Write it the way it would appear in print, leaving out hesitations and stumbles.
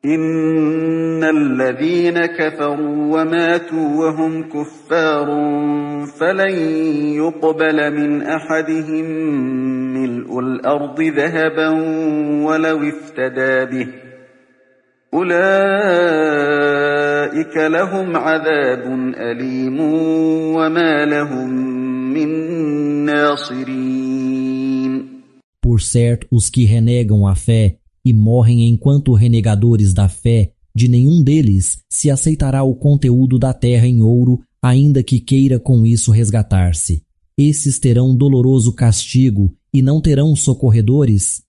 إن الذين كفروا وماتوا وهم كفار فلن يقبل من أحدهم ملء الأرض ذهبا ولو افتدى به أولئك لهم عذاب أليم وما لهم من ناصرين. Por certo, os que renegam a fé e morrem enquanto renegadores da fé, de nenhum deles se aceitará o conteúdo da terra em ouro, ainda que queira com isso resgatar-se. Esses terão doloroso castigo e não terão socorredores.